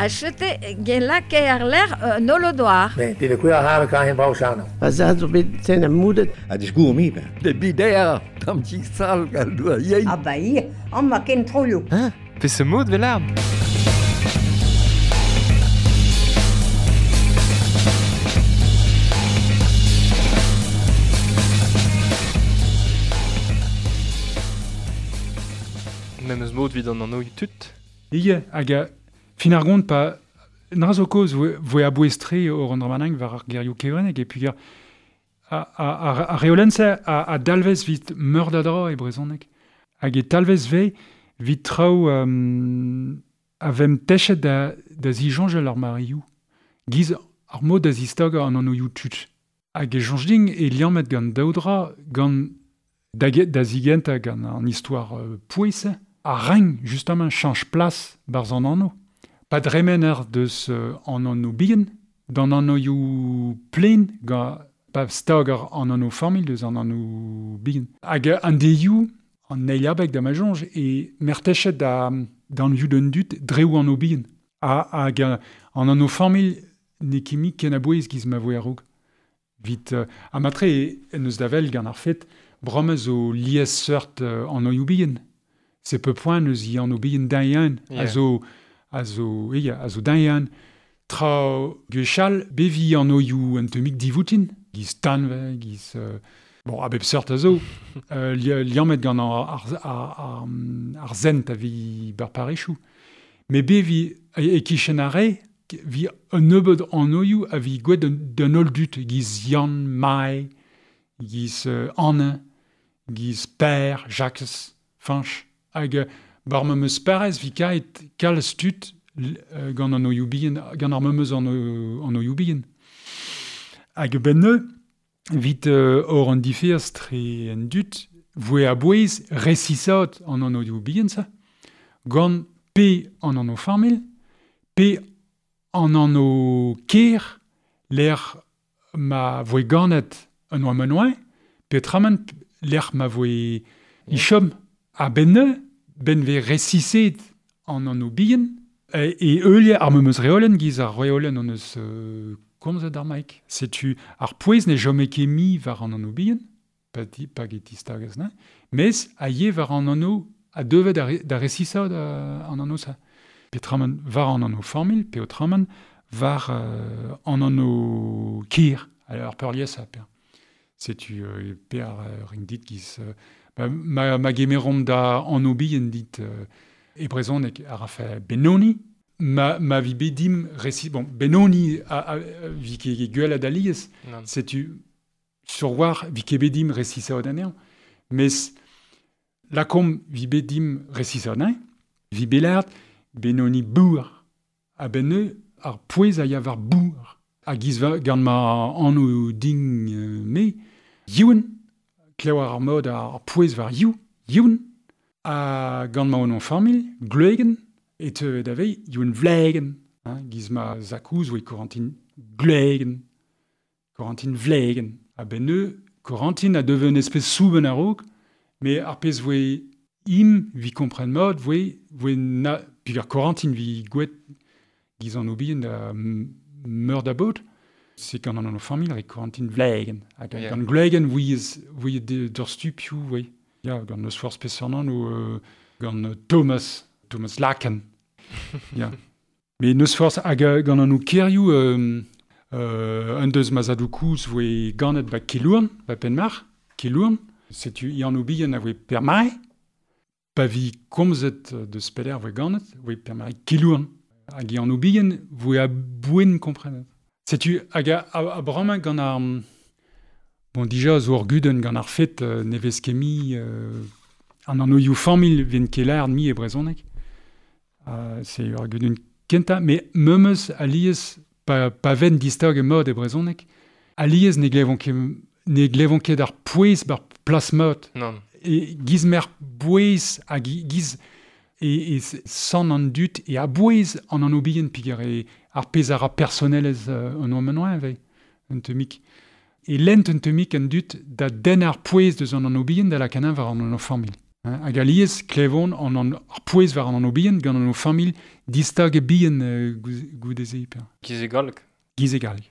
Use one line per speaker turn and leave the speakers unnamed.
A chete gen lake ar ler nolodoar.
Ne, dit de koe har kan hen brau sano.
Pa za zo bet ten a moudet.
A disgour mi ben.
De bider, tam ti sal gal doa yein.
Ah ba ie, an ma ken troioù.
Hein? Pe se mod vel Memes mod vid an anno tut.
Ie, hag a fin ar gont pa nra zo koz voe a bouez-tre o an dramanang war ar gerioù kevrenek e puis a reolenn-se a dalvez vit meur da dra e brezhoneg. Hag e talvez ve vit traoù a vem techet da zijoñjel ar marioù. Giz ar mod da zistag an annoioù tut. Hag e soñj din e liammet gant daou dra gant da zigenta gant an histoire pouez a reng justement change place barz an anno. Pa dremen ar deus an anno bihan, d'an annoioù plen gant pa stag ar an anno familh deus an anno bihan. Hag an deioù, an eil abeg da ma soñj, e mertechet da d'an ioù d'un dut dreoù an bihan. Hag an anno familh ne ket ken a bouez giz ma voe a-raok. Vit a matre en eus da vel gant ar fet bromez o lies seurt an oioù bihan. C'est peu point eus i an bihan dañ
Yeah.
A zo dañ Tra gwechall bevi an oioù un temik divoutin, giz tanve, giz... bon, a bep seurt a zo, liammet gant ar zent a vi bar parechou. Me bevi e kichen ar re, vi un nebeud an oioù a vi gwet d'un holl dut, giz Yann, Mai, giz Anne, giz Per, Jacques, Fanch. Hag bar ma meus parez vi kaet kalz tud gant an oioù bihan, gant ar memeus an oioù bihan. Hag ben neu, vit or an difers tre en dut, voe a bouez resisat an an oioù bihan sa, gant pe an an o familh, pe an an o ker, l'er ma voe ganet an oa menoin, pe traman l'er ma voe ichom. A ben neu, ben ve resiset an an o bihan, e eulie ar memeus reolen giz ar reolen an eus komzet ar maik. Setu ar pouez ne jome ket mi war an an o bihan, pa get distagez, ne? Mes a ye war an anno a devet da resisat an anno sa. Petraman war an anno familh, pe otraman war an anno kir, ar peurlies a per. Setu per ring dit giz... ma gemerom da anno bihan dit e brezhoneg ar a fe Benoni, ma vi bedim resi... Bon, Benoni a vi ket gwell a daliez, setu sur war vi ket bedim resisa anezhañ. Mes lakom vi bedim resisa anezhañ, vi belard Benoni bour. A ben ar pouez a ya war bour. A giz gant ma anno ding me, Youn, klev ar mod ar pouez war Youn, a gant ma onon familh, Gleugen, e teu da vei, Youn Vlegen, hein, giz ma zakouz oe Corentin Gleugen, Corentin Vlegen. A ben neu, Corentin a deve un espèce souben a-raok, me ar pezh voe im vi kompren mod, voe na, puis ar Corentin vi gwet giz an obien da meur da bot, c'est gant an familh re Corentin Vlegen. Hag
Yeah.
gant Gleugen voe d'ur stupioù, voe. Ya, gant eus forz peseurt ou gant Thomas Laken. Ya. Me neus forz hag gant an o kerioù un deus ma zadou kouz voe ganet ba Kelourn, ba Penmarc'h, Kelourn. Setu i an o bihan a voe per-mai. Pa vi komzet deus peler voe ganet, voe per-mai Kelourn. Hag i an o bihan voe a bouen komprenet. Setu hag a bramañ gant ar... Bon, dija zo ur gudenn gant ar fet ne vez ket mi an annoioù familh ven ket lâret mi e brezhoneg. C'est ur gudenn kentañ, mais memes alies pa ven distag e mod e brezhoneg, alies ne glevont ket ar pouez bar plas mod.
Non.
E giz mer bouez hag giz e san an dut e a bouez an an obien piger e ar pezh a ra personelez an oa vei, un temik. E lent un temik an dut da den ar pouez deus an an obien da la kanin war an an familh. Hag alies klevon an ar pouez war an anv bihan gant an o familh distag e bihan goude-se.
Giz e galleg.
Giz e galleg.